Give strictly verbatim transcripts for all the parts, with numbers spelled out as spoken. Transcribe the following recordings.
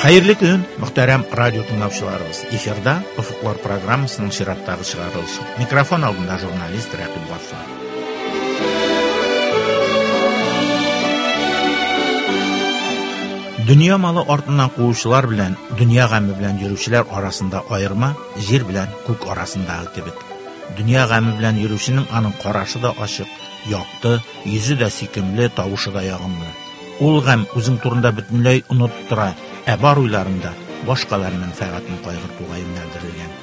Хәерле көн, мөхтәрәм радио тыңлаучыларыбыз. Эфирда Офыклар программасының чираттагы чыгарылышы. Микрофон алдында журналист Рәкыйп Гаффар. Дөнья малы артыннан куучылар белән дөнья гаме белән йөрүчеләр арасында аерма җир белән күк арасындагы кебек. Дөнья гаме белән йөрүченең аның карашы да ачык, якты, йөзе дә сөйкемле, тавышы да ягымлы. Ул гам үзең турында бөтенләй оныттыра, ә бар уйларында башкалар мәнфәгатен кайгыртуга юнәлдерелгән.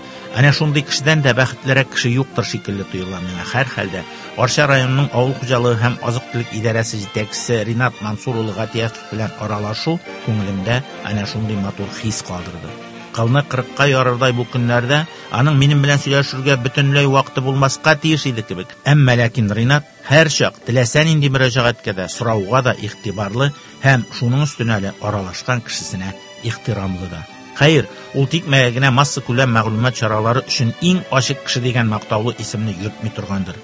Әнә шундый кешедән дә бәхетлерәк кеше юктыр шикелле тоела миңа. Һәрхәлдә Арча районының авыл хуҗалыгы һәм азык-төлек идарәсе җитәкчесе Ринат Мансур улы Гатиятов белән аралашу күңелемдә әнә шундый матур хис калдырды. Кылны кырыкка ярырдай бу көннәрдә аның минем белән сөйләшергә бөтенләй вакыты булмаска тиеш иде кебек. Әмма ләкин Ринат һәр чак теләсә нинди мөрәҗәгатькә дә, сорауга да игътибарлы һәм шуның өстенә әле аралашкан кешесенә ихтирамлы да. Хәер, ул тикмәгә генә массакүләм мәгълүмат чаралары өчен иң ачык кеше дигән мактаулы исемне йөртми торгандыр.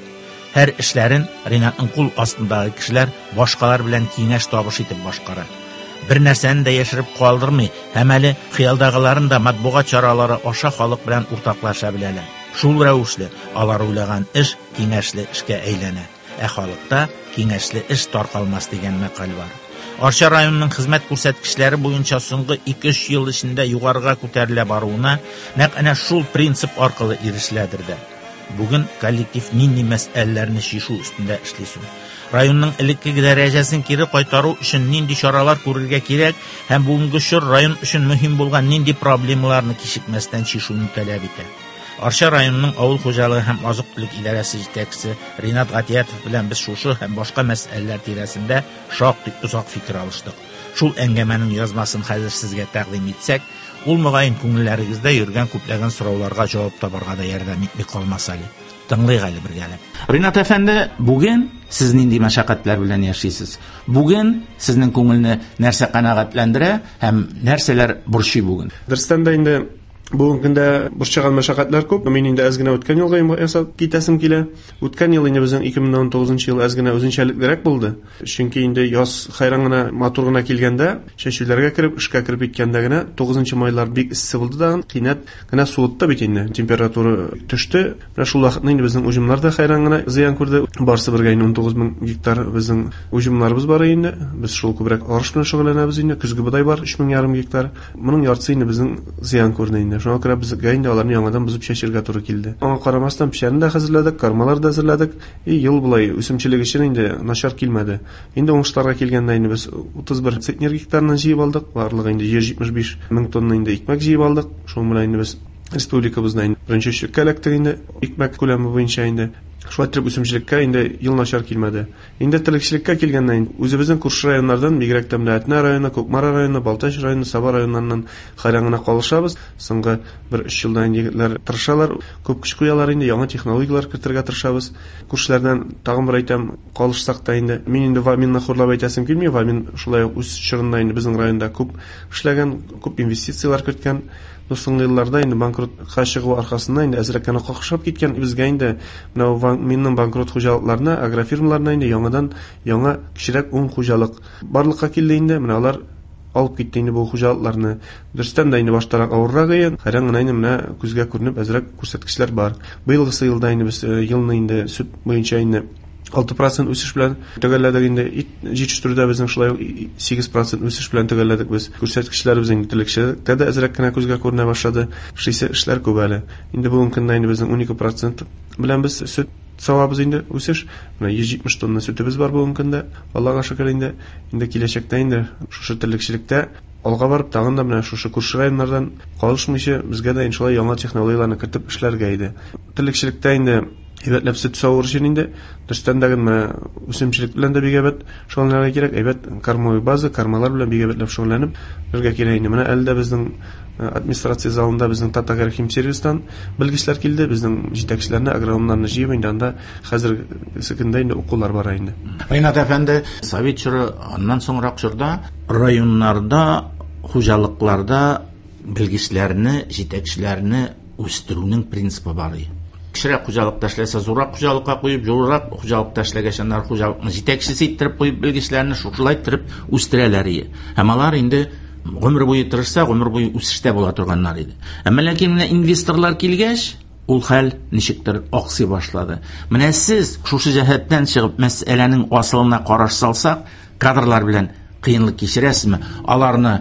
Һәр эшләрен Ринатның кул астындагы кешеләр башкалар белән киңәш табыш итеп башкара. Бер нәрсәне дә яшереп калдырмый һәм әле хыялдагыларын да матбугат чаралары аша халык белән уртаклаша беләләр. Шул рәвешле алар уйлаган эш киңәшле эшкә әйләнә. Ә халыкта киңәшле эш таркалмас дигән мәкаль бар. Арча районының хезмәт күрсәткечләре буенча соңгы ике-өч ел эчендә югарыга күтәрелә баруына нәкъ әнә шул принцип аркылы ирешеләдер дә. Бүген коллектив нинди мәсьәләләрне чишү өстендә эшли соң? Районның элеккеге дәрәҗәсен кире кайтару өчен нинди чаралар күрергә кирәк һәм бүгенге чор район өчен мөһим булган нинди проблемаларны кичекмәстән чишүне таләп итә? Арча районының авыл хуҗалыгы һәм азык-төлек идарәсе җитәкчесе Ринат Гатиятов белән без шушы һәм башка мәсьәләләр тирәсендә шактый озак фикер алыштык. Шул әңгәмәнең язмасын хәзер сезгә тәкъдим итсәк, ул мөгаен күңелләрегездә йөргән күпләгән сорауларга җавап табарга да ярдәм итми калмас әле. Тыңлыйк әле бергәләп. Ринат әфәнде, бүген сез нинди мәшәкатьләр белән яшисез? Бүген сезнең күңелне нәрсә канәгатьләндерә һәм нәрсәләр борчый бүген? Дөрестән дә инде бүгенге көндә борчыган мәшәкатьләр күп. Мин инде әз генә үткән елга ясап китәсем килә. Үткән ел инде безнең ике мең ун тугызынчы ел әз генә үзенчәлеклерәк булды. Чөнки инде яз хайран гына, матур гына килгәндә, чәчүләргә кереп, эшкә кереп киткәндә генә тугызынчы майлар бик эссе булды да, кинәт кенә суытты бит инде. Температура төште. Менә шул вакытны инде безнең уҗымнар да хайран гына зыян күрде. Барсы бергә инде ун тугыз мең гектар безнең уҗымнарыбыз бар инде. Без шул күбрәк арыш белән шөгыльләнәбез инде. Көзге бодай бар өч мең ярым гектар. Моның яртысы инде безнең зыян күрде инде. Шуңа күрә безгә инде аларны яңадан бозып чәчергә туры килде. Аңа карамастан печәнне дә хәзерләдек, кармалар да әзерләдек. И ел болай үсемчелек өчен инде начар килмәде. Инде уңышларга килгәндә инде без утыз бер центнер гектарны җыеп алдык. Барлыгы инде йөз җитмеш биш мең тонна инде икмәк җыеп алдык. Шуның белән инде без республикабызда инде беренче өчлеккә эләктек инде икмәк күләме буенча инде. Шулай итеп үсемчелеккә инде ел начар килмәде. Инде терлекчелеккә килгәндә инде үзебезнең күрше районнардан, бигрәк тә менә Әтнә районы, Кукмара районы, Балтач районы, Саба районнарыннан хайран гына калышабыз. Соңгы бер өч елдан инде егетләр тырышалар, күп көч куялар инде, яңа технологияләр кертергә тырышабыз. Күршеләрдән тагын бер әйтәм, калышсак та инде, мин инде Ваминны хурлап әйтәсем килми. Вамин шулай ук үз чорында инде безнең районда күп эшләгән, күп инвестицияләр керткән. Но соңгы елларда инде банкротка чыгу аркасында инде әзрәк кенә какшап киткән. Безгә инде менә Ваминның банкрот хуҗалыкларына, агрофирмаларына инде яңадан яңа кечерәк ун хуҗалык барлыкка килде инде. Менә алар алып китте инде бу хуҗалыкларны. Дөрестән дә инде баштарак авыррак иде. Хайран гына инде менә күзгә күренеп әзрәк күрсәткечләр бар. Быелгысы елда инде без, э, елны инде сөт буенча инде алты процент үсеш белән төгәлләдек инде. Ит җитештерүдә безнең шулай ук сигез процент үсеш белән төгәлләдек без. Күрсәткечләребез инде терлекчелектә дә әзрәк кенә күзгә күренә башлады. Эшлисе эшләр күп әле. Инде бүгенге көндә инде безнең унике процент белән без сөт савабыз инде үсеш. Менә йөз җитмеш тонна сөтебез бар бүгенге көндә. Аллага шөкер инде. Инде киләчәктә инде шушы терлекчелектә алга барып тагын да менә шушы күрше районнардан калышмыйча безгә дә иншалла яңа технологияләрне кертеп эшләргә иде. Терлекчелектә инде әйбәтләп сөт савыр өчен инде дөрестән дә менә үсемчелек белән дә бик әйбәт шөгыльләнергә кирәк. Әйбәт кормовой база, кормалар белән бик әйбәтләп шөгыльләнеп бергә кирәк инде. Менә әле дә безнең, э, администрация залында безнең Татагрохимсервистан белгечләр килде, безнең җитәкчеләрне, агрономнарны җыеп инде анда хәзерге көндә инде укулар бара инде. Ринат әфәнде, совет чоры, аннан соңрак чорда районнарда, хуҗалыкларда белгечләрне, җитәкчеләрне үстерүнең принципы бар иде. Кечерәк хуҗалыкта эшләсә, зуррак хуҗалыкка куеп, зуррак хуҗалыкта эшләгәч, аннары хуҗалыкны җитәкчесе иттереп куеп, белгечләрне шушылай иттереп үстерәләр иде. Һәм алар инде Гомер буе тырышса, гомер буе үсештә була торганнар иде. Әмма ләкин менә инвесторлар килгәч, ул хәл ничектер аксый башлады. Менә сез шушы җәһәттән чыгып мәсьәләнең асылына караш салсак, кадрлар белән кыенлык кичерәсезме? Аларны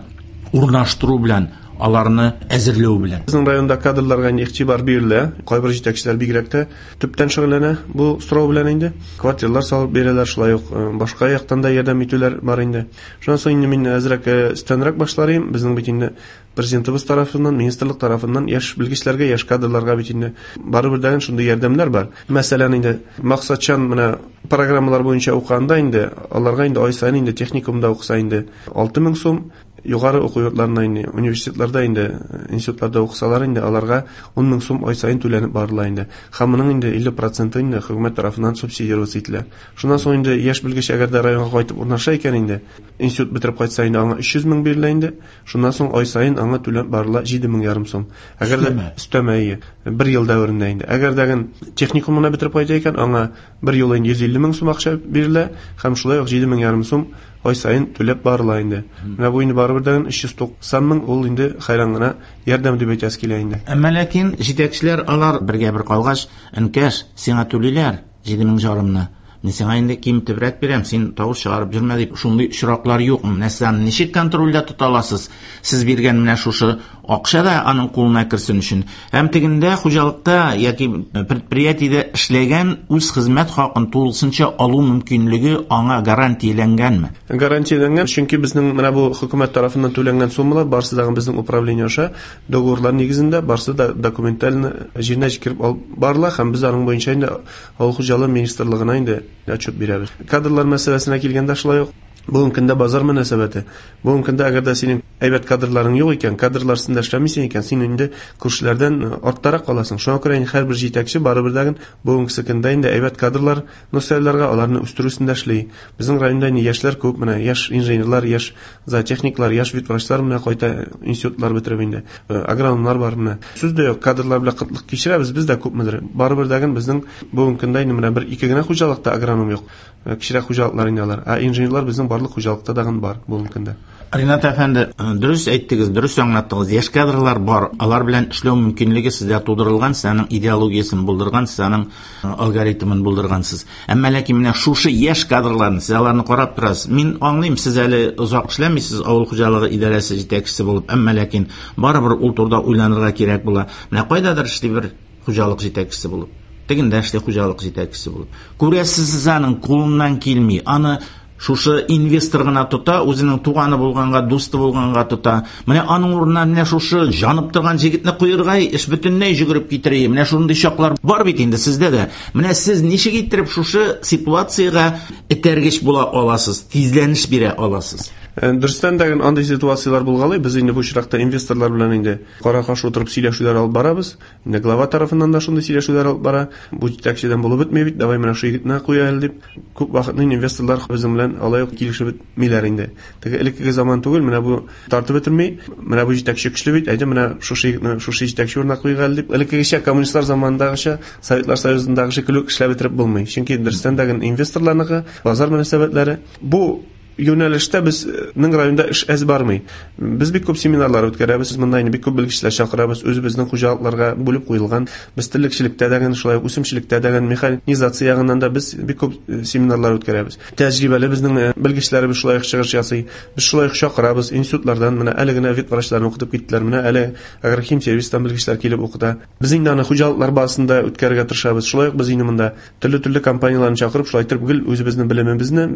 урнаштыру белән, аларны әзерләү белән. Безнең районда кадрларга игътибар бирелә. Кайбер җитәкчеләр бигрәк тә төптән шөгыльләнә бу сорау белән инде. Квартиралар салып бирәләр, шулай ук башка яктан да ярдәм итүләр бар инде. Шуннан соң инде мин әзрәк өстәнрәк башлар идем. Безнең бит инде президентыбыз тарафыннан, министрлык тарафыннан яшь белгечләргә, яшь кадрларга бит инде барыбер дә шундый ярдәмнәр бар. Мәсәлән, инде максатчан менә программалар буенча укыганда инде аларга инде ай саен инде техникумда укыса инде алты мең сум, югары уку йортларында инде, университетларда инде, институтларда укысалар инде аларга ун мең сум ай саен түләнеп барыла инде. Һәм моның инде илле проценты инде хөкүмәт тарафыннан субсидироваться ителә. Шуннан соң инде яшь белгеч әгәр дә районга кайтып урнаша икән инде, институт бетереп кайтса инде аңа өч йөз мең бирелә инде. Шуннан соң ай саен аңа түләнеп барыла җиде мең ярым сум. Әгәр дә өстәмә бер ел дәверендә инде. Әгәр дә техникумны бетереп кайта икән, аңа бер ел инде йөз илле мең сум акча бирелә һәм шулай ук җиде мең ярым сум ай саен түләп барыла инде. Менә бу инде барыбер дә өч йөз туксан мең ул инде хәйран гына ярдәм дип әйтәсе килә инде. Әмма ләкин җитәкчеләр алар бергә бер калгач, энкәш, сиңа түлиләр җиде мең ярымны. Мин сиңа инде киметебрәк бирәм, син тавыш чыгарып йөрмә дип, шундый очраклар юк. Менә сез аны ничек контрольдә тота аласыз? Сез биргән менә шушы акча да аның кулына керсен өчен. Һәм тегендә хуҗалыкта яки предприятиедә эшләгән үз хезмәт хакын тулысынча алу мөмкинлеге аңа гарантияләнгәнме? Гарантияләнгән, чөнки безнең менә бу хөкүмәт тарафыннан түләнгән суммалар барысы да безнең управление аша договорлар нигезендә барысы да документально җиренә җиткереп алып барыла һәм без аның буенча инде авыл хуҗалыгы министрлыгына инде отчет бирәбез. Кадрлар мәсьәләсенә килгәндә шулай ук бүгенге көндә базар мөнәсәбәте. Бүгенге көндә әгәр дә синең әйбәт кадрларың юк икән, кадрлар өстендә эшләмисең икән, син инде күршеләрдән арттарак каласың. Шуңа күрә инде һәрбер җитәкче барыбер дә бүгенге көндә инде әйбәт кадрлар носайларга аларны үстерү өстендә эшли. Безнең районда инде яшьләр күп, менә яшь инженерлар, яшь зоотехниклар, яшь ветврачлар менә кайта институтлар бетереп инде, агрономнар бар менә. Сүз дә юк, кадрлар белән кытлык кичерәбез, без дә күпмедер. Барыбер дә безнең бүгенге көндә инде менә бер ике генә хуҗалыкта агроном юк. Кечерәк хуҗалыклар инде алар. Ә инженерлар безнең барлык хуҗалыкта дагын бар бүгенге көндә. Ринат әфәнде, дөрес әйттегез, дөрес аңлаттыгыз. Яшь кадрлар бар, алар белән эшләү мөмкинлеге сездә тудырылган, сез аның идеологиясен булдырган, сез аның алгоритмын булдыргансыз. Әмма ләкин менә шушы яшь кадрларны сез аларны карап торасыз. Мин аңлыйм, сез әле озак эшләмисез авыл хуҗалыгы идарәсе җитәкчесе булып, әмма ләкин барыбер ул турыда уйланырга кирәк була. Менә кайдадыр эшли бер хуҗалык җитәкчесе булып, тегендә эшли хуҗалык җитәкчесе булып. Күрәсез, сез аның кулыннан килми, аны шушы инвестор гына тота, үзенең туганы булганга, дусты булганга тота. Менә аның урынына менә шушы җанып торган җегетне куерга, эш бөтенләй җөгереп китерә. Менә шундый чаклар бар бит инде сездә дә. Менә сез ничек иттереп шушы ситуациягә этәргеч була аласыз, тизләнеш бирә аласыз? Дөрестән дә андый ситуацияләр булгалый. Без инде бу очракта инвесторлар белән инде кара-каршы утырып сөйләшүләр алып барабыз. Инде глава тарафыннан да шундый сөйләшүләр алып бара. Бу җитәкчедән булып бетми бит, давай менә шу егетне куя әле дип. Күп вакытны инвесторлар безнең белән алай ук килешеп бетмиләр инде. Теге элеккеге заман түгел, менә бу тартып бетерми, менә бу җитәкче көчле бит, әйдә менә шушы егетне шушы җитәкче урынына куйыйк әле дип. Элеккегечә коммунистлар заманындагыча, Советлар Союзындагы шикелле эшләп бетереп булмый. Чөнки дөрестән дә инвесторларныкы базар мөнәсәбәтләре бу юнәлештә безнең районда эш әз бармый. Без бик күп семинарлар үткәрәбез, монда инде бик күп белгечләр чакырабыз, үзебезнең хуҗалыкларга бүлеп куелган. Без терлекчелектә дә, шулай ук үсемчелектә дә, механизация ягыннан да без бик күп семинарлар үткәрәбез. Тәҗрибәле безнең белгечләребез шулай ук чыгыш ясый. Без шулай ук чакырабыз институтлардан, менә әле генә ветврачларны укытып киттеләр, менә әле агрохим сервистан белгечләр килеп укыта. Без инде аны хуҗалыклар базасында үткәрергә тырышабыз. Шулай ук без инде монда төрле-төрле компанияләрне чакырып, шулай итеп гел үзебезнең белемебезне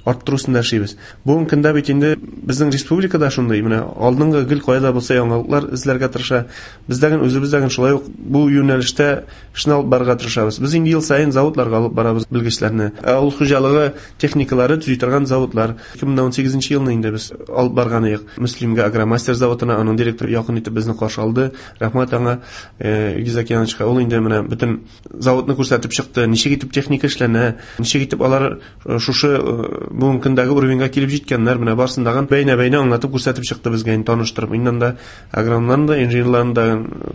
арттыру өстендә эшлибез. Бүгенге көндә бит инде безнең республикада шундый, менә алдынгы гел кайда булса яңалыклар эзләргә тырыша. Без дә үзебез дә шулай ук бу юнәлештә эшне алып барырга тырышабыз. Без инде ел саен заводларга алып барабыз белгечләрне. Авыл хуҗалыгы техникалары төзи торган заводлар. ике мең унсигезенче елны инде без алып барган идек. Мөслимгә Агромастер заводына, аның директоры якын итеп безне каршы алды. Рәхмәт аңа, Илгиз Акияновичка. Ул инде менә бөтен заводны күрсәтеп чыкты, ничек итеп техника эшләнә, ничек итеп алар шушы бүгенге көндәге уровеньга килеп җиткәннәр, менә барсын дагын бәйнә-бәйнә аңлатып күрсәтеп чыкты безгә, инде таныштырып. Инде анда агрономнарны да, инженерларны да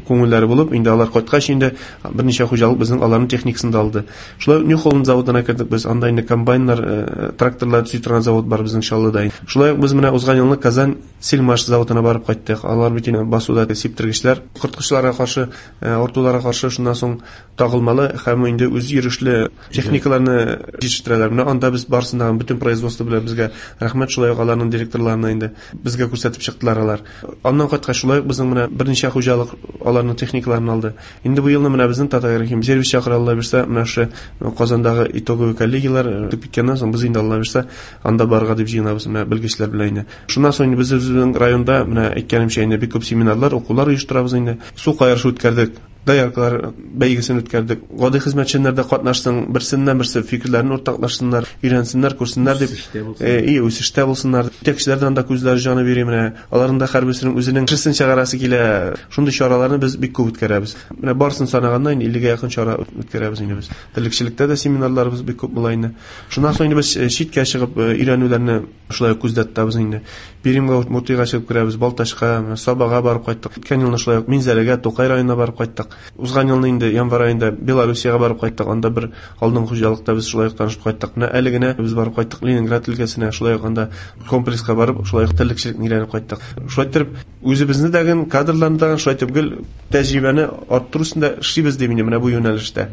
күңелләре булып, инде алар кайткач инде берничә хуҗалык безнең аларның техникасын да алды. Шулай Нью Холланд заводына кердек без, анда инде комбайннар, тракторлар төзи торган завод бар безнең Чаллыда. Шулай ук без менә узган елны Казан Сельмаш заводына барып кайттык. Алар бит инде басуда сиптергечләр, корткычларга каршы, авыртуларга каршы шуннан соң тагылмалы һәм инде үз йөрешле техникаларны җитештерәләр. Менә анда без барысында бөтен производство белән безгә рәхмәт, шулай ук аларның директорларына инде безгә күрсәтеп чыктылар алар. Аннан кайткач шулай ук безнең менә берничә хуҗалык аларның техникаларын алды. Инде бу елны менә безнең Татагрохим сервис чакыра, Алла бирсә, менә шушы Казандагы итоговый коллегияләр үтеп киткәннән соң без инде Алла бирсә анда барырга дип җыенабыз менә белгечләр белән инде. Шуннан соң инде без үзебезнең районда менә әйткәнемчә инде бик күп семинарлар, укулар оештырабыз инде. Су каерышы үткәрдек, дояркалар бәйгесен үткәрдек. Гади хезмәтчеләр дә катнашсын, берсеннән берсе фикерләрен уртаклашсыннар, өйрәнсеннәр, күрсеннәр дип, и үсештә булсыннар. Җитәкчеләрдән дә күзләре җаны бирә менә. Аларның да һәрберсенең үзенең кешесен чыгарасы килә. Шундый чараларны без бик күп үткәрәбез. Менә барысын санаганда инде иллегә якын чара үткәрәбез инде без. Терлекчелектә дә семинарларыбыз бик күп була инде. Шуннан соң инде без читкә чыгып өйрәнүләрне шулай ук күздә тотабыз инде. Пермьгә, Удмуртиягә чыгып керәбез, Балтачка, Сабага барып кайттык. Үткән елны шулай ук Минзәләгә, Тукай районына барып кайттык. Узган елны инде январь аенда Белоруссиягә барып кайттык. Анда бер алдынгы хуҗалыкта без шулай ук танышып кайттык. Менә әле генә без барып кайттык Ленинград өлкәсенә, шулай ук анда комплекска барып, шулай ук терлекчелекне өйрәнеп кайттык. Шулай итеп үзебезне дә, кадрларны да шулай итеп гел тәҗрибәне арттыру өстендә эшлибез дип инде менә бу юнәлештә.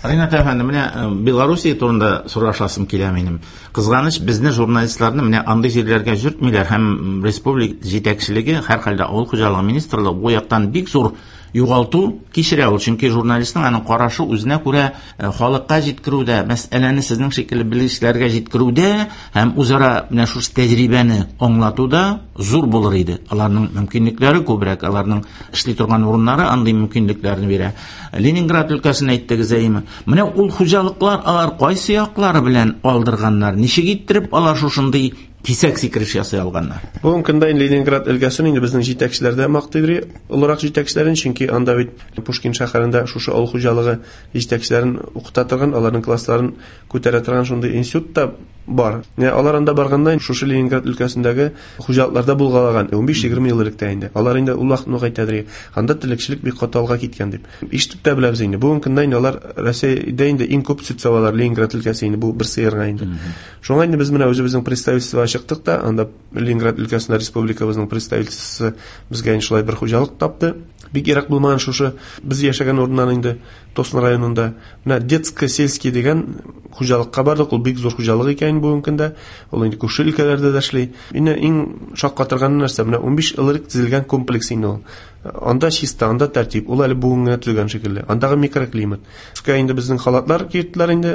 Ринат әфәнде, менә Белоруссия турында сорашасым килә минем. Кызганыч, безне журналистларны менә андый җирләргә йөртмиләр һәм республика җитәкчелеге, һәрхәлдә авыл хуҗалыгы министрлыгы бу яктан бик зур югалту кичерә ул, чөнки журналистның аның карашы үзенә күрә халыкка җиткерүдә, мәсьәләне сезнең шикелле белгечләргә җиткерүдә һәм үзара менә шушы тәҗрибәне аңлатуда зур булыр иде. Аларның мөмкинлекләре күбрәк, аларның эшли торган урыннары андый мөмкинлекләрне бирә. Ленинград өлкәсен әйттегез, әйеме? Менә ул хуҗалыклар алар кайсы яклары белән алдырганнар, ничек иттереп алар шушындый кисәк сикереш ясый алганнар? Бүгенге көндә инде Ленинград өлкәсен инде безнең җитәкчеләр дә мактый бирә, олырак җитәкчеләрен, чөнки анда бит Пушкин шәһәрендә шушы авыл хуҗалыгы җитәкчеләрен укыта торган, аларның классларын күтәрә торган шундый институт та бар. Менә алар анда барганда шушы Ленинград өлкәсендәге хуҗалыкларда булгалаган унбиш егерме ел элек тә инде. Алар инде ул вакытны ук әйтәдер, анда терлекчелек бик каты алга киткән дип. Ишетеп тә беләбез инде. Бүгенге көндә инде алар Россиядә инде иң күп сөт савалар Ленинград өлкәсе инде бу бер сыерга инде. Шуңа инде без менә үзебезнең представительствога чыктык та, анда Ленинград өлкәсендә республикабызның представительствосы безгә инде шулай бер хуҗалык тапты. Бик ерак булмаган шушы без яшәгән урыннан инде Тосно районында менә детско-сельский дигән хуҗалыкка бардык. Ул бик зур хуҗалык икән бүгенге көндә. Ул инде күрше өлкәләрдә дә эшли. Инде иң шаккатырган нәрсә менә унбиш ел элек төзелгән комплекс инде ул. Анда чиста, анда тәртип. Ул әле бүген генә төзелгән шикелле. Андагы микроклимат. Өскә инде безнең халатлар киерттеләр инде,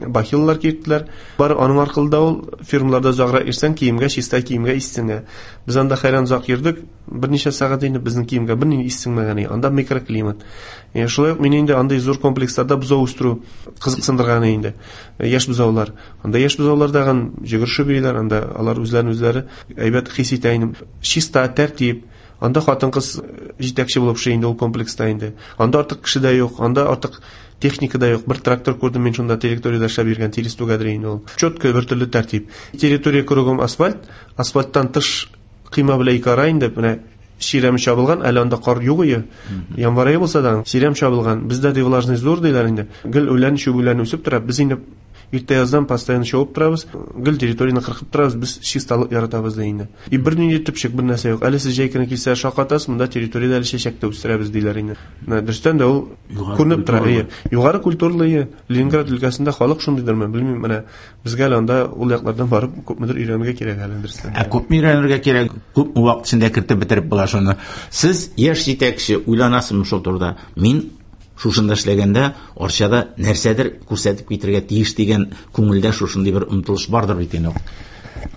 бахиллар киерттеләр. Бар аның аркылы да ул фирмаларда озаграк йөрсәң, киемгә, чиста киемгә ис сеңә. Без анда хәйран озак йөрдек. Берничә сәгать инде безнең киемгә берни ис сеңмәгән. Анда микроклимат. Шулай ук мине инде андый зур комплексларда бозау үстерү кызыксындырган инде. Яшь бозаулар. Анда яшь бозаулар дагын йөгерешеп йөриләр, анда алар үзләрен үзләре әйбәт хис итә инде. Чиста, тәртип. Анда хатын-кыз җитәкче булып эшли инде ул комплекста инде. Анда артык кеше дә юк, анда артык техника да юк. Бер трактор күрдем мин шунда территориядә эшләп йөргән, тирес түгәдер инде ул. Четко бер төрле тәртип. Территория кругом асфальт, асфальттан тыш кыйма белән ике ара инде менә чирәм чабылган, әле анда кар юк ие. Январь ае булса да чирәм чабылган. Бездә ди влажность зур диләр инде. Гел үлән, чүп үлән үсеп тора. Без инде иртә яздан постоянно чабып торабыз, гел территорияне кыркып торабыз, без чисталык яратабыз ди инде. И бер нинди төпчек, бер нәрсә юк. Әле сез җәй көне килсә шакатасыз, монда территориядә әле чәчәк тә үстерәбез диләр инде. Менә дөрестән дә ул күренеп тора. Әйе, югары культуралы ие. Ленинград өлкәсендә халык шундыйдырмы, белмим, менә безгә әле анда ул яклардан барып күпмедер өйрәнергә кирәк әле дөрестән. Ә күпме өйрәнергә кирәк, күпме вакыт эчендә кертеп бетереп була шуны. Сез яшь җитәкче, уйланасызмы шул турыда? Мин шушында эшләгәндә Арчада нәрсәдер күрсәтеп китергә тиеш дигән күңелдә шушындый бер омтылыш бардыр бит инде.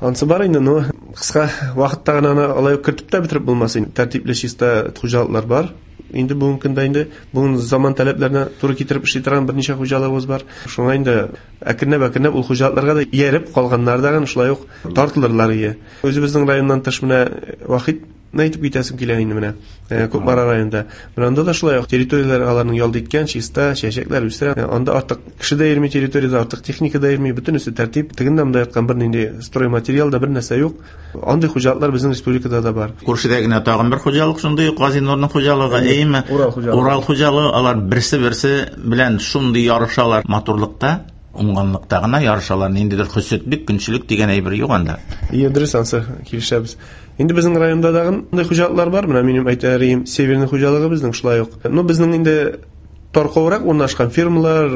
Ансы бар инде, но кыска вакытта гына аны алай ук кертеп тә бетереп булмас инде. Тәртипле чиста хуҗалыклар бар. Инде бүгенге көндә инде бүген заман таләпләренә туры китереп эшли торган берничә хуҗалыгыбыз бар. Шуңа инде әкренләп-әкренләп ул хуҗалыкларга да ияреп калганнар да шулай ук тартылырлар ие. Үзебезнең районнан тыш менә Вахит әйтеп китәсем килә инде менә. Кукмара районында. Менә анда да шулай ук территорияләр аларның ялт иткән, чиста, чәчәкләр үстерә. Анда артык кеше дә йөрми территориядә, артык техника да йөрми, бөтенесе тәртип. Тегендә монда яткан бернинди стройматериал да бер нәрсә юк. Андый хуҗалыклар безнең республикада да бар. Күршедә генә тагын бер хуҗалык шундый, Газинурның хуҗалыгы, әйеме? Урал хуҗалыгы. Урал хуҗалыгы, алар берсе-берсе белән шундый ярышалар матурлыкта, уңганлыкта гына ярышалар. Ниндидер хөсетлек, көнчелек дигән әйбер юк анда. Ие, дөрес, ансы килешәбез. Инде безнең районда дагы андый хуҗалыклар бар. Менә минем әйтәрем, Северный хуҗалыгы безнең шулай ук. Ну, безнең инде таркаурак урнашкан фирмалар,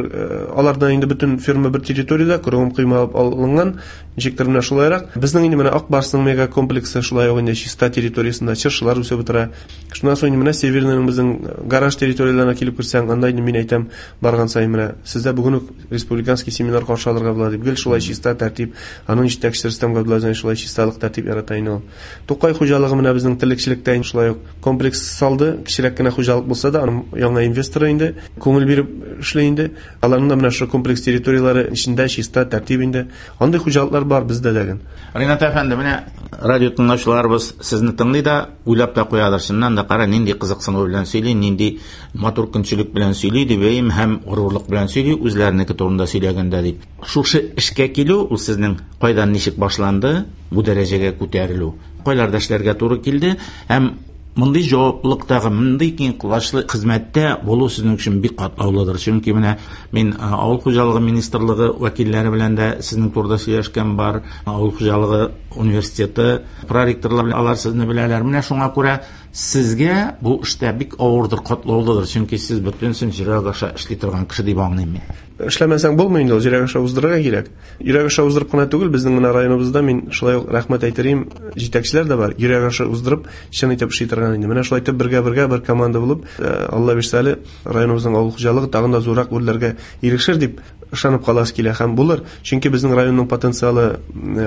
алардан инде бөтен фирма бер территориядә кругом кыйма алынган, ничектер менә шулайрак. Безнең инде менә Ак Барсның мега комплексы шулай ук инде чиста территориясендә чыршылар үсеп утыра. Шуннан соң инде менә Северныйның безнең гараж территорияләренә килеп керсәң, анда инде мин әйтәм, барган саен менә сездә бүген үк республиканский семинар каршы алырга була дип, гел шулай чиста тәртип, аның җитәкчесе Рөстәм Габдуллазин шулай чисталык тәртип ярата инде ул. Тукай хуҗалыгы менә безнең терлекчелектә инде шулай ук комплекс салды, кечерәк кенә хуҗалык булса да, аның яңа инвесторы инде күңел биреп эшли инде. Аларның да менә шул комплекс территорияләре эчендә чиста тәртип инде. Андый хуҗалыклар бар бездә дә. Ринат әфәнде, менә радио тыңлаучыларыбыз сезне тыңлый да, уйлап та куядыр. Чыннан да кара, нинди кызыксыну белән сөйли, нинди матур көнчелек белән сөйли дип, әйем, һәм горурлык белән сөйли үзләренеке турында сөйләгәндә дип. Шушы эшкә килү, ул сезнең кайдан ничек башланды, бу дәрәҗәгә күтәрелү, кайларда эшләргә туры килде һәм мондый җаваплылыктагы, мондый киң колачлы хезмәттә булу сезнең өчен бик катлаулыдыр. Чөнки менә мин авыл хуҗалыгы министрлыгы вәкилләре белән дә сезнең турыда сөйләшкән бар, авыл хуҗалыгы университеты проректорлар белән алар сезне беләләр. Менә шуңа күрә сезгә бу эштә бик авырдыр, катлаулыдыр, чөнки сез бөтенесен йөрәк аша эшли торган кеше дип аңлыйм мин. Эшләмәсәң булмый инде ул, йөрәк аша уздырырга кирәк. Йөрәк аша уздырып кына түгел, безнең менә районыбызда мин шулай ук рәхмәт әйтерим, җитәкчеләр дә бар, йөрәк аша уздырып, чын итеп эшли торган инде. Менә шулай итеп бергә-бергә бер команда булып, Алла бирсә әле, районыбызның авыл хуҗалыгы тагын да зуррак үрләргә ирешер дип ышанып каласы килә һәм булыр. Чөнки безнең районның потенциалы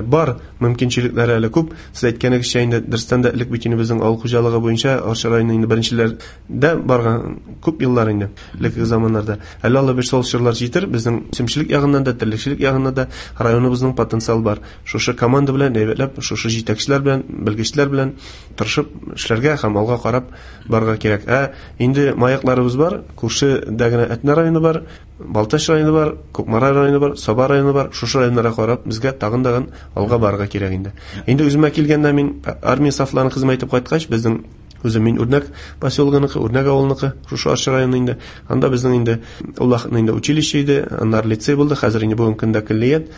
бар, мөмкинчелекләре әле күп. Сез әйткәнегезчә инде дөрестән дә элек бит инде безнең авыл хуҗалыгы буенча Арча районы инде беренчеләрдә барган күп еллар инде, элекке заманнарда. Әле Алла бирсә, ул чорлар җитер, безнең үсемчелек ягыннан да, терлекчелек ягыннан да районыбызның потенциалы бар. Шушы команда белән әйбәтләп, шушы җитәкчеләр белән, белгечләр белән тырышып эшләргә һәм алга карап барырга кирәк. Ә инде маякларыбыз бар, күршедә генә Әтнә районы бар, Балтач районы бар, Кукмара районы бар, Саба районы бар. Шушы районнарга карап безгә тагын тагын алга барырга кирәк инде. Инде үземә килгәндә мин армия сафларын хезмәт итеп кайткач, безнең үзем мин Үрнәк поселогыныкы, Үрнәк авылыныкы, шушы Арча районы инде. Анда безнең инде ул вакытны инде училище иде, аннары лицей булды, хәзер инде бүгенге көндә көллият.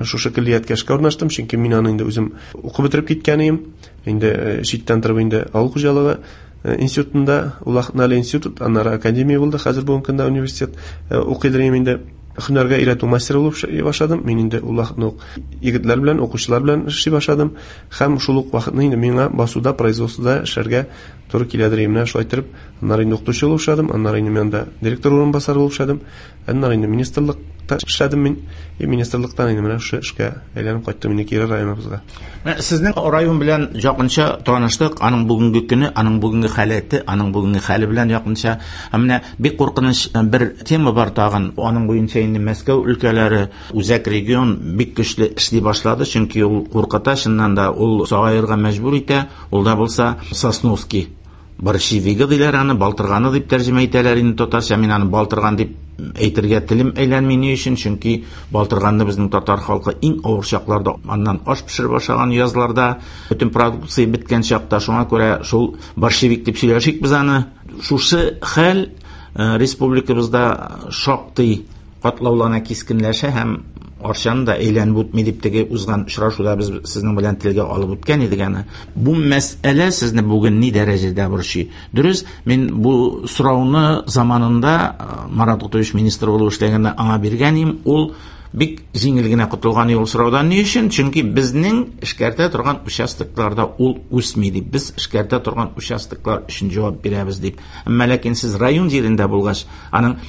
Шушы көллияткә эшкә урнаштым, чөнки мин аны инде үзем укып бетереп киткән идем. Инде читтән торып инде авыл хуҗалыгы институтында, ул вакытны әле институт, аннары академия булды, хәзер бүгенге көндә университет укыйдыр идем инде. Һөнәргә өйрәтү мастеры булып эшли башладым. Мин инде ул вакытны ук егетләр белән, укучылар белән эшли башладым. Һәм шул ук вакытны инде миңа басуда, производствода эшләргә туры киләдер. Менә шулай итеп, аннары инде укытучы булып эшләдем, аннары инде мин анда директор урынбасары булып эшләдем, аннары инде министрлыкта эшләдем мин. И министрлыктан инде менә шушы эшкә әйләнеп кайттым инде кире районыбызга. Менә сезнең район белән якынча таныштык, аның бүгенге көне, аның бүгенге халәте, аның бүгенге хәле белән якынча. Ә менә бик куркыныч бер тема бар тагын. Аның буенча инде Мәскәү өлкәләре, үзәк регион бик көчле эшли башлады, чөнки ул куркыта, чыннан да ул сагаерга мәҗбүр итә. Ул да булса Сосновский борщевигы диләр аны, балтырганы дип тәрҗемә итәләр инде татарча. Мин аны балтырган дип әйтергә телем әйләнми. Ни өчен? Чөнки балтырганны безнең татар халкы иң авыр чакларда, аннан аш пешереп ашаган язларда, бөтен продукция беткән чакта, шуңа күрә шул борщевик дип сөйләшик без аны. Шушы хәл республикабызда шактый катлаулана, кискенләшә һәм Арчаны да әйләнеп үтми дип теге узган очрашуда без сезнең белән телгә алып үткән идек аны. Бу мәсьәлә сезне бүген ни дәрәҗәдә борчый? Дөрес, мин бу сорауны заманында Марат Гутович министр булып эшләгәндә аңа биргән идем. Ул бик җиңел генә котылган ул сораудан. Ни өчен? Чөнки безнең эшкәртә торган участокларда ул үсми дип, без эшкәртә торган участоклар өчен җавап бирәбез дип. Әмма ләкин сез район җирендә булгач, аның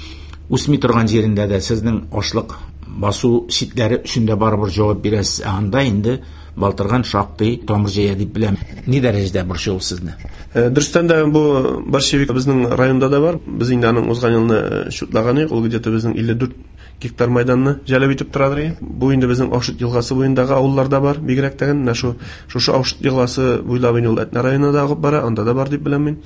үсми торган җирендә дә сезнең ашлык басу читләре өчен дә барыбер җавап бирәсез. Ә анда инде балтырган шактый тамыр җәя дип беләм. Ни дәрәҗәдә борчый ул сезне? Дөрестән дә бу борщевик безнең районда да бар. Без инде аның узган елны шутлаган идек, ул где-то безнең илле дүрт гектар майданны җәлеп итеп торадыр. Бу инде безнең Аушыт елгасы буендагы авылларда бар, бигрәк тә менә шу шушы Аушыт елгасы буйлап инде ул Әтнә районына да агып бара, анда да бар дип беләм мин.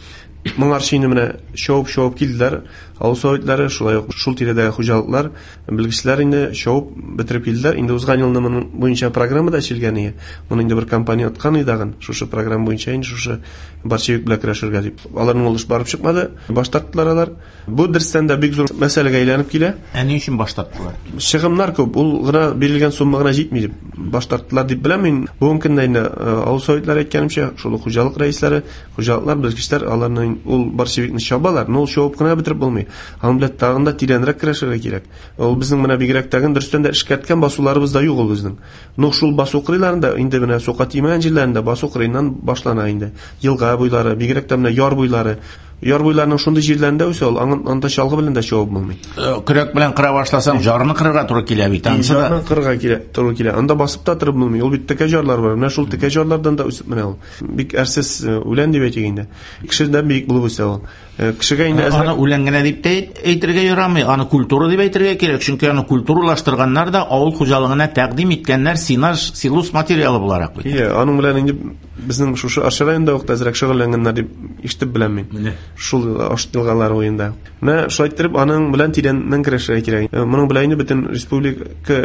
Моңарчы инде менә шауып-шауып килделәр авыл советлары, шулай ук шул тирәдәге хуҗалыклар, белгечләр инде шауып бетереп килделәр. Инде узган елны моның буенча программа да эшләнгән иде. Моны инде бер компания откан иде тагын, шушы программа буенча инде шушы борщевик белән көрәшергә дип. Аларның ул эш барып чыкмады, баш тарттылар алар. Бу дөрестән дә бик зур мәсьәләгә әйләнеп килә. Ә ни өчен баш тарттылар? Чыгымнар күп, ул гына бирелгән сумма гына җитми дип баш тарттылар дип беләм мин. Бүгенге көндә инде авыл советлары әйткәнемчә, шул ук хуҗалык рәисләре, хуҗалыклар, белгечләр аларның ул борщевикны чабалар, но ул чабып кына бетереп булмый. Аның белән тагын да тирәнрәк көрәшергә кирәк. Ул безнең менә бигрәк тагын дөрестән дә эшкәрткән басуларыбыз да юк ул безнең. Но шул басу кырыйларында инде менә сука тимәгән җирләрендә басу кырыеннан башлана инде. Елга буйлары, бигрәк тә менә яр буйлары. Яр буйларының шундый җирләрендә үсә ул, анда чалгы белән дә чабып булмый. Көрәк белән кыра башласаң, жарны кырырга туры килә бит. Ансы да жарны кырырга килә, туры килә. Анда басып та торып булмый. Ул бит текә жарлар бар. Менә шул текә жарлардан да үсеп менә ул. Бик әрсез үлән дип әйтик инде. Кешедән биек булып үсә ул. Кешегә инде әзрәк аны үлән генә дип тә әйтергә ярамый, аны культура дип әйтергә кирәк, чөнки аны культуралаштырганнар да авыл хуҗалыгына тәкъдим иткәннәр сенаж, силос материалы буларак бит. Ие, аның белән инде безнең шушы Арча районында ук әзрәк шөгыльләнгәннәр дип ишетеп беләм мин. Шул Аушыт елгалары буенда. Менә шулай иттереп аның белән тирәннән көрәшергә кирәк. Моның белән инде бөтен республика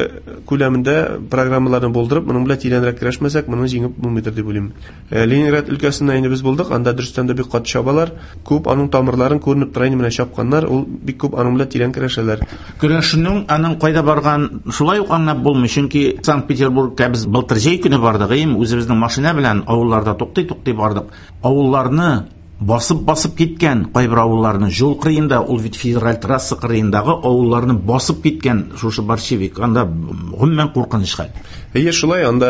күләмендә программаларны булдырып, моның белән тирәнрәк көрәшмәсәк, моны җиңеп булмыйдыр дип уйлыйм. Ленинград өлкәсендә инде без булдык, анда дөрестән дә бик каты чабалар, күп аның тамырларын күренеп тора инде менә чапканнар, ул бик күп аның белән тирән көрәшәләр. Көрәшнең аның кайда барган шулай ук аңлап булмый, чөнки Санкт-Петербургка без былтыр җәй көне бардык, им үзебезнең машина белән авылларда туктый-туктый бардык. Авылларны басып-басып киткән кайбер авылларны юл кырыенда, ул бит федераль трасса кырыендагы авылларны басып киткән шушы борщевик, анда гомумән куркыныч хәл. Әйе, шулай, анда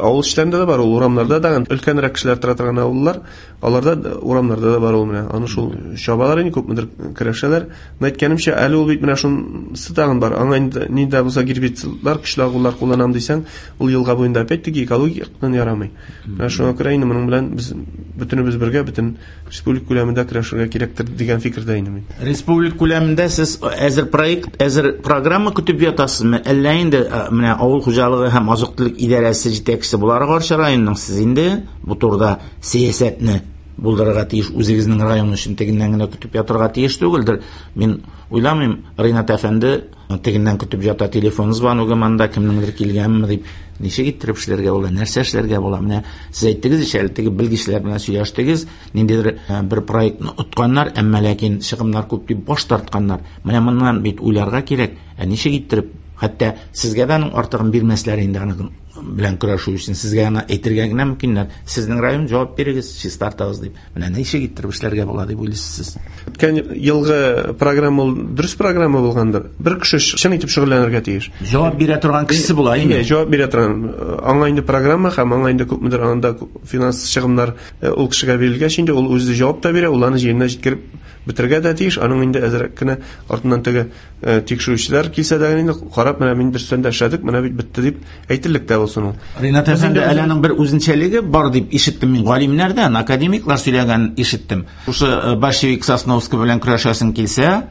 авыл эчләрендә дә бар, ул урамнарда да өлкәнрәк кешеләр тора торган авыллар, аларда урамнарда да бар ул менә. Аны шул чабалар инде күпмедер көрәшәләр. Менә әйткәнемчә, әле ул бит менә шунысы тагын бар. Аңа инде ни дә булса гербицидлар, көчле агулар кулланам дисәң, ул елга буенда опять-таки экологик яктан ярамый. Менә шуңа күрә инде моның белән без бөтенебез бергә бөтен республика күләмендә көрәшергә кирәктер дигән фикердә инде мин. Республика күләмендә сез әзер проект, әзер программа көтеп ятасызмы? Әллә инде менә авыл хуҗалыгы һәм азык-төлек идарәсе җитәкчесе буларак Арча районының сез инде бу турыда сәясәтне булдырырга тиеш, үзегезнең район өчен тегеннән генә көтеп ятырга тиеш түгелдер. Мин уйламыйм, Ринат әфәнде тегеннән көтеп ята, телефон звоногы монда кемнеңдер килгәнме дип, ничек иттереп эшләргә була, нәрсә эшләргә була? Менә сез әйттегез ич әле, теге белгечләр белән сөйләштегез, ниндидер бер проектны отканнар, әмма ләкин чыгымнар күп дип баш тартканнар. Менә моннан бит уйларга кирәк, ә ничек иттереп, хәтта сезгә дә аның артыгын бирмәсләр инде аны белән көрәшү өчен, сезгә аны әйтергә генә мөмкиннәр. Сезнең район җавап бирегез, чистартыгыз дип. Менә ничек иттереп эшләргә була дип уйлыйсыз сез? Үткән елгы программа ул дөрес программа булгандыр. Бер кеше чын итеп шөгыльләнергә тиеш. Җавап бирә торган кешесе була инде. Әйе, җавап бирә торган. Аңа инде программа һәм аңа инде күпмедер анда финанс чыгымнар ул кешегә бирелгәч инде ул үзе җавап та бирә, ул аны җиренә җиткереп бетерергә дә тиеш. Аның инде әзрәк кенә артыннан теге тикшерүчеләр килсә дә инде карап, менә мин дөрестән дә эшләдек, менә бит бетте дип әйтерлек тә булсын ул. Ринат әфәнде, әле аның бер үзенчәлеге бар дип ишеттем мин галимнәрдән, академиклар сөйләгән ишеттем. Шушы борщевик Сосновский белән көрәшәсең килсә,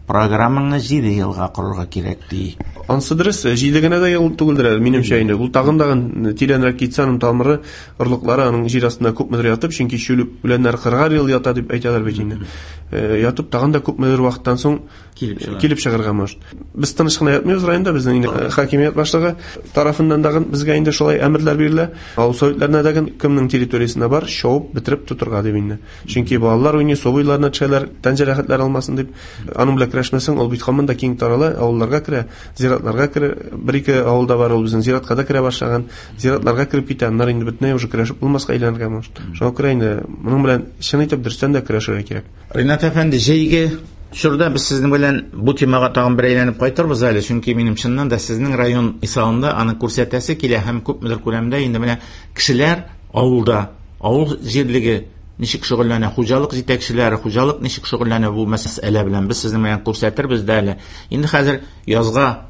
программаңны җиде елга корырга кирәк ди. Ансы дөрес, җиде генә дә ел түгелдер әле, минемчә инде. Ул тагын тагын тирәнрәк китсә, аның тамыры, орлыклары аның җир астында күпмедер ятып, чөнки чүлеп үләннәр кырыгар ел ята дип әйтәләр бит инде. Ятып тагын да күпмедер вакыттан соң килеп чыга. Килеп чыгарга может. Без тыныч кына ятмыйбыз районда, безнең инде хакимият башлыгы тарафыннан дагы безгә инде шулай әмерләр бирелә. Авыл советларына дагы кемнең территориясендә бар, шауып бетереп тотырга дип инде. Чөнки балалар уйный, су буйларына төшәләр, тән җәрәхәтләр алмасын дип, аның белән көрәшмәсәң, ул бит һаман да киң тарала, авылларга керә, зиратларга керә. Бер-ике авылда бар ул безнең зиратка да керә башлаган, зиратларга кереп китә, аннары инде бөтенләй уже көрәшеп булмаска әйләнергә может. Шуңа күрә инде моның белән чын итеп дөрестән дә көрәшергә кирәк. Ринат әфәнде, җәйге чорда без сезнең белән бу темага тагын бер әйләнеп кайтырбыз әле, чөнки минем чыннан да сезнең район мисалында аны күрсәтәсе килә һәм күпмедер күләмдә инде менә кешеләр авылда, авыл җирлеге ничек шөгыльләнә, хуҗалык җитәкчеләре, хуҗалык ничек шөгыльләнә бу мәсьәлә белән без сезнең белән күрсәтербез дә әле. Инде хәзер язга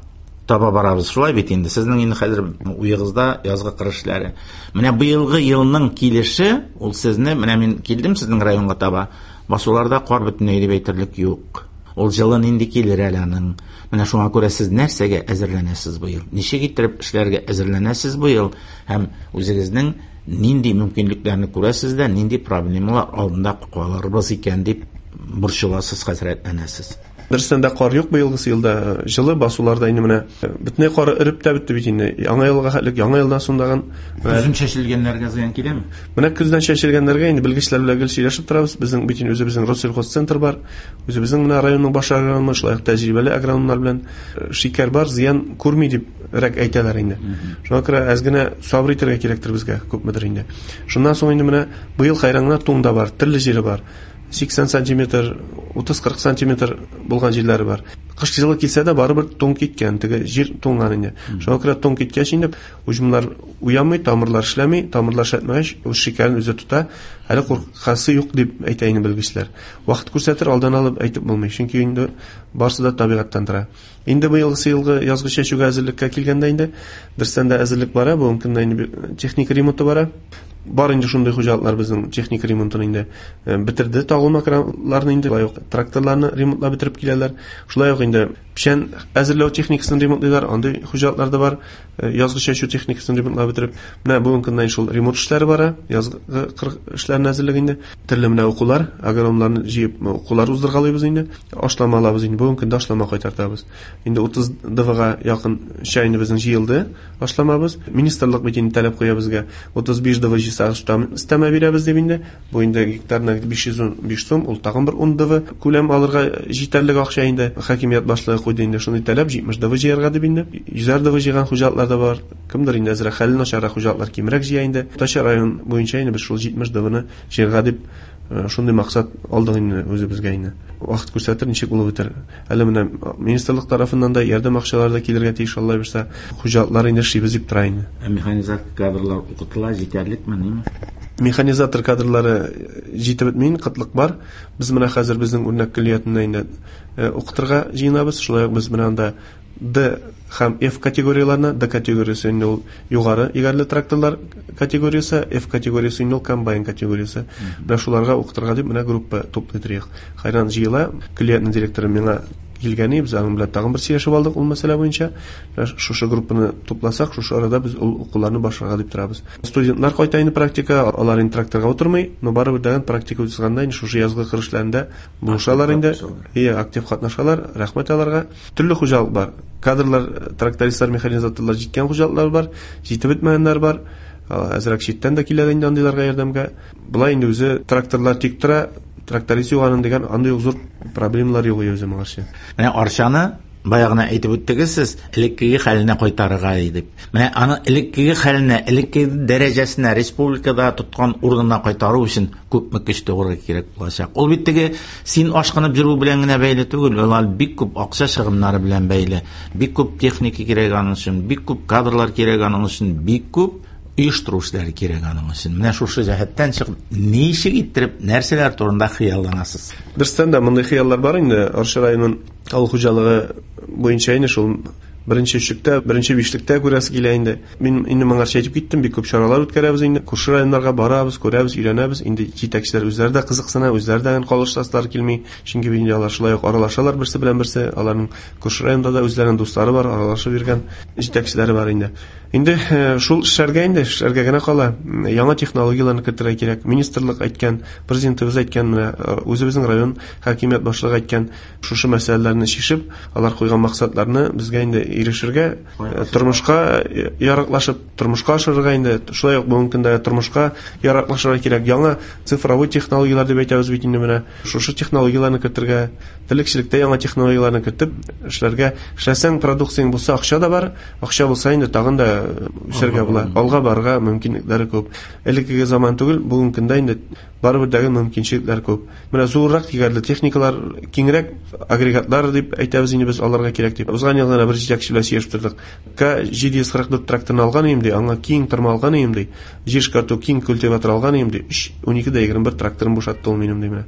таба барабыз. Шулай бит инде. Сезнең инде хәзер уегызда язгы кыр эшләре. Менә быелгы елның килеше, ул сезне, менә мин килдем сезнең районга таба. Басуларда кар бөтенләй дип әйтерлек юк. Ул җылы нинди килер әле аның. Менә шуңа күрә сез нәрсәгә әзерләнәсез быел? Ничек иттереп эшләргә әзерләнәсез быел? Һәм үзегезнең нинди мөмкинлекләрне күрәсез дә, нинди проблемалар алдында калырбыз икән дип борчыласыз, хәсрәтләнәсез? Дөрестән дә кар юк быелгысы елда. Җылы басуларда инде менә бөтенләй кар эреп тә бетте бит инде. Яңа елга хәтлек, яңа елдан соң дагын көзен чәчелгәннәргә зыян киләме? Менә көздән чәчелгәннәргә инде белгечләр белән гел сөйләшеп торабыз. Безнең бит инде үзебезнең Россельхозцентр бар. Үзебезнең менә районның баш агрономы, шулай ук тәҗрибәле агрономнар белән шикәр бар, зыян күрми дип рәк әйтәләр инде. Шуңа күрә әз генә сабыр итәргә кирәктер безгә, күпмедер инде. Шуннан соң инде менә быел хайран гына туң да бар, төрле җире бар. сиксән сантиметр, утыз-кырык сантиметр булган җирләре бар. Кыш җылы килсә дә барыбер туң киткән, теге җир туңган инде. Шуңа күрә туң киткәч инде уҗымнар уянмый, тамырлар эшләми, тамырлар эшләтмәгәч, үз шикәрен үзе тота. Әле куркасы юк дип әйтә инде белгечләр. Вакыт күрсәтер, алдан алып әйтеп булмый, чөнки инде барсы да табигатьтән тора. Инде быелгысы елгы язгы чәчүгә әзерлеккә килгәндә инде дөрестән дә әзерлек бара, бүгенге көндә инде техника ремонты бара. Бар инде шундый хуҗалыклар безнең техника ремонтын инде бетерде, тагылма краннарны инде, шулай ук тракторларны ремонтлап бетереп киләләр. Шулай ук инде печән әзерләү техникасын ремонтлыйлар, андый хуҗалыклар да бар. Язгы чәчү техникасын ремонтлап бетереп, менә бүгенге көндә шул ремонт эшләре бара, язгы кыр эшләрен әзерлек инде. Төрле менә укулар, агрономнарны җыеп укулар уздыргалыйбыз инде. Ашлама алабыз инде, бүгенге көндә ашлама кайтартабыз. Инде утыз ДВга якын чәй инде безнең җыелды ашламабыз. Министрлык бит инде таләп куя безгә утыз биш ДВ җыйсак, өстәмә бирәбез дип инде. Бу инде гектарына биш йөз ун биш сум, ул тагын бер ун ДВ күләм алырга җитәрлек акча инде. Хакимият башлыгы куйды инде шундый таләп, җитмеш ДВ җыярга дип инде. Йөзәр ДВ җыйган хуҗалыклар да бар. Кемдер инде әзрәк хәле начаррак хуҗалыклар кимрәк җыя инде. Уртача район буенча инде без шул җитмеш ДВны җыярга дип шундый максат алдык инде үзебезгә инде. Вакыт күрсәтер, ничек булып бетер. Әле менә министрлык тарафыннан да ярдәм акчалары да килергә тиеш, Алла бирсә. Хуҗалыклар инде эшлибез дип тора инде. Ә механизатор кадрлар укытыла җитәрлекме, ниме? Механизатор кадрлары җитеп бетми, кытлык бар. Без менә хәзер безнең үрнәк көллиятендә инде укытырга җыенабыз. Шулай ук без менә анда Д һәм F категорияләренә, Д категориясе инде ул югары егәрле тракторлар категориясе, F категориясе инде ул комбайн категориясе. Менә шуларга укытырга дип менә группа туплый торыйк. Хайран җыела, көллиятнең директоры миңа килгәне, без аның белән тагын бер сөйләшеп алдык ул мәсьәлә буенча. Шушы группаны тупласак, шушы арада без ул укуларны башларга дип торабыз. Студентлар кайта инде практика, алар инде тракторга утырмый, но барыбер дәгән практика узганда инде шушы язгы кыр эшләрендә булышалар инде. Ие, актив катнашалар, рәхмәт аларга. Төрле хуҗалык бар. Кадрлар, трактористлар, механизаторлар җиткән хуҗалыклар бар, җитеп бетмәгәннәр бар. Әзрәк читтән дә килә инде андыйларга ярдәмгә. Болай инде үзе тракторлар тик тора, тракторист юк аның дигән андый зур проблемалар юк үзе моңарчы. Менә Арчаны баягына әйтеп үттегез сез, элеккеге хәленә кайтарырга дип. Менә аны элеккеге хәленә, элеккеге дәрәҗәсенә, республикада тоткан урынына кайтару өчен күпме көч түгәргә кирәк булачак. Ул бит теге син ашкынып йөрү белән генә бәйле түгел, ул бик күп акча чыгымнары белән бәйле. Бик күп техника кирәк аның өчен, бик күп кадрлар кирәк аның өчен, бик күп оештыру эшләре кирәк аның өчен. Менә шушы җәһәттән чыгып, ничек иттереп, нәрсәләр турында хыялланасыз? Дөрестән дә мондый хыяллар бар инде. Арча районының авыл хуҗалыгы буенча инде шул беренче өчлектә, беренче бишлектә күрәсе килә инде. Мин инде моңарча әйтеп киттем, бик күп чаралар үткәрәбез инде. Күрше районнарга барабыз, күрәбез, өйрәнәбез. Инде җитәкчеләр үзләре дә кызыксына, үзләре дә калыштасылар килми. Чөнки инде алар шулай ук аралашалар берсе белән берсе. Аларның күрше районда да үзләренең дуслары бар, аралашып йөргән җитәкчеләре бар инде. Инде шул эшләргә инде, эшләргә генә кала. Яңа технологияләрне кертергә кирәк. Министрлык әйткән, президентыбыз әйткән, менә үзебезнең район хакимият башлыгы әйткән, шушы мәсьәләләрне чишеп, алар куйган максатларны безгә инде ирешергә, тормышка яраклашып, тормышка ашырырга инде, шулай ук бүгенге көндә тормышка яраклашырга кирәк. Яңа цифровой технологияләр дип әйтәбез бит инде менә. Шушы технологияләрне кертергә, терлекчелектә яңа технологияләрне кертеп эшләргә. Эшләсәң, продукцияң булса, акча да бар, акча булса инде тагын да үсәргә була, алга барырга мөмкинлекләре күп. Элеккеге заман түгел, бүгенге көндә инде Барыбер дәге мөмкинчелекләр күп. Менә зуррак егәрле техникалар, киңрәк агрегатлар дип әйтәбез инде без аларга кирәк дип. Узган ел гына бер җитәкче белән сөйләшеп тордык. К җиде йөз кырык дүрт тракторны алган идем ди, аңа киң тырма алган идем ди, җир эшкәртү киң культиватор алган идем ди, өч унике дә егерме бер тракторын бушатты ул минем ди менә.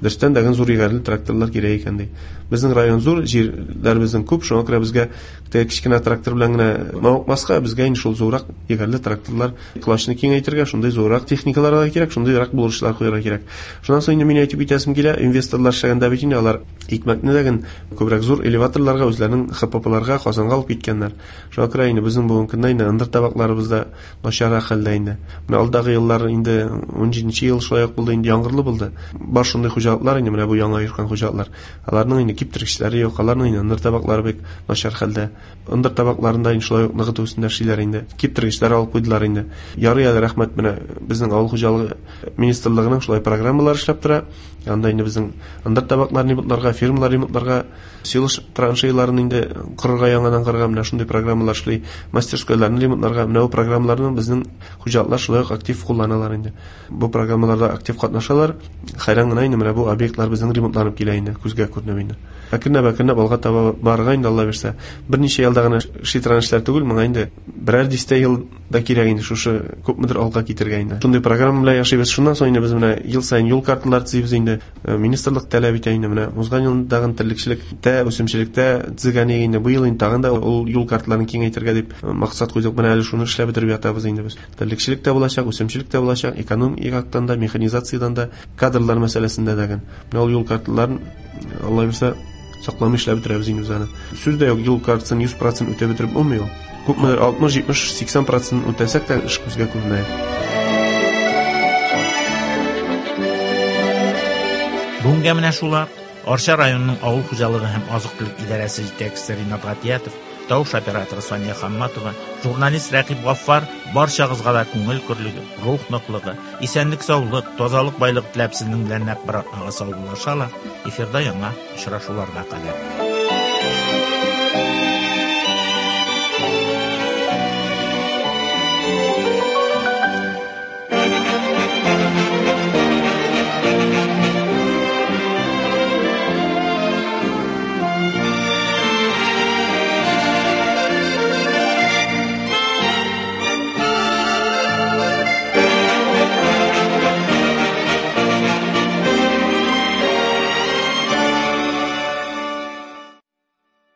Дөрестән дә зур егәрле тракторлар кирәк икән ди. Безнең район зур, җирләр безнең күп, шуңа күрә безгә теге кечкенә трактор белән генә мавыкмаска, безгә инде шул зуррак егәрле тракторлар колачны киңәйтергә, шундый зуррак техникалар да кирәк, шундыйрак булышлар куярга кирәк. Шуннан соң инде мин әйтеп китәсем килә, инвесторлар эшләгәндә бит инде алар икмәкне дә күбрәк зур элеваторларга, үзләренең Х П П-ларга, Казанга алып киткәннәр. Шуңа күрә инде безнең бүгенге көндә инде ындыр табакларыбыз да начаррак хәлдә инде. Менә алдагы еллар инде ун җиденче ел шулай ук булды, инде яңгырлы булды. Бар шундый хуҗалыклар инде, менә бу яңа оешкан хуҗалыклар. Аларның инде киптергечләре юк, аларның инде ындыр табаклары бик начар хәлдә. Ындыр табакларында инде шулай ук ныгыту өстендә эшлиләр инде. Киптергечләр алып куйдылар инде. Ярый әле, рәхмәт, менә безнең авыл хуҗалыгы министрлыгының шулай программалары эшләп тора. Анда инде безнең ындыр табакларын ремонтларга, фермалар ремонтларга, силос траншеяларын инде корырга, яңадан корырга, менә шундый программалар эшли, мастерскойларны ремонтларга, менә бу программаларны безнең хуҗалыклар шулай ук актив кулланалар инде. Бу программаларда актив катнашалар. Хәйран гына инде менә бу объектлар безнең ремонтланып килә инде, күзгә күренеп инде. Әкренләп, әкренләп алга таба барырга инде, Алла бирсә. Берничә елда гына эшли торган эшләр түгел, моңа инде берәр дистә ел да кирәк инде шушы күпмедер алга китергә инде. Шундый программа белән яшибез. Шуннан соң инде без менә ел саен юл карталары төзибез инде. Министрлык таләп итә инде менә узган елдагы терлекчелектә, үсемчелектә төзегән инде бу ел инде тагын да ул юл карталарын киңәйтергә дип максат куйдык. Менә әле шуны эшләп бетереп ятабыз инде без. Терлекчелек тә булачак, үсемчелек тә булачак, экономик яктан да, механизациядән дә, кадрлар мәсьәләсендә дә. Менә ул юл карталарын Алла бирсә сакламый эшләп бетерәбез инде без аны. Сүз дә юк, юл картасын йөз процент үтәп бетереп булмый ул. Күпмедер алтмыш, җитмеш, сиксән процент үтәсәк тә эш күзгә күренә. Бүгенгә менә шулар. Арча районының авыл хуҗалыгы һәм азык-төлек идарәсе җитәкчесе Ринат Гатиятов, тавыш операторы Сания Хамматова, журналист Рәкыйп Гаффар барчагызга да күңел көрлеге, рух ныклыгы, исәнлек-саулык, тазалык, байлык теләп сезнең белән нәкъ бер атнага саубуллашалар. Эфирда яңа очрашуларга кадәр.